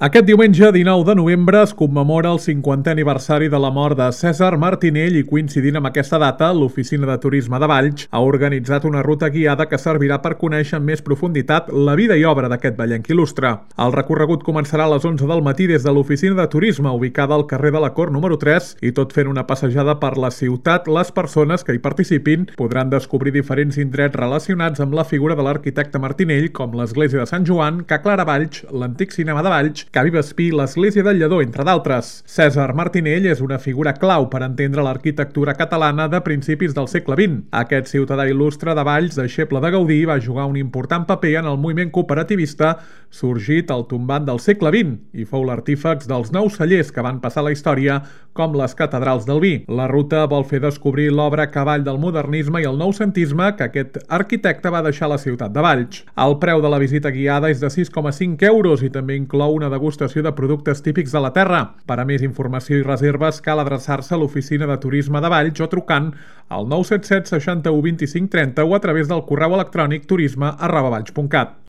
Aquest diumenge 19 de novembre es commemora el 50è aniversari de la mort de Cèsar Martinell i coincidint amb aquesta data, l'Oficina de Turisme de Valls ha organitzat una ruta guiada que servirà per conèixer amb més profunditat la vida i obra d'aquest vallenc il·lustre. El recorregut començarà a les 11 del matí des de l'Oficina de Turisme, ubicada al carrer de la Cort número 3, i tot fent una passejada per la ciutat, les persones que hi participin podran descobrir diferents indrets relacionats amb la figura de l'arquitecte Martinell, com l'església de Sant Joan, Ca Clara Valls, l'antic cinema de Valls, Ca Vivespí, l'església del Lledó, entre d'altres. Cèsar Martinell és una figura clau per entendre l'arquitectura catalana de principis del segle XX. Aquest ciutadà il·lustre de Valls, deixeble de Gaudí, va jugar un important paper en el moviment cooperativista sorgit al tombant del segle XX i fou l'artífex dels nous cellers que van passar a la història com les catedrals del vi. La ruta vol fer descobrir l'obra cavall del modernisme i el noucentisme que aquest arquitecte va deixar a la ciutat de Valls. El preu de la visita guiada és de 6,5 euros i també inclou una degustació de productes típics de la terra. Per a més informació i reserves cal adreçar-se a l'Oficina de Turisme de Valls o trucant al 977 61 25 30 o a través del correu electrònic turisme@valls.cat.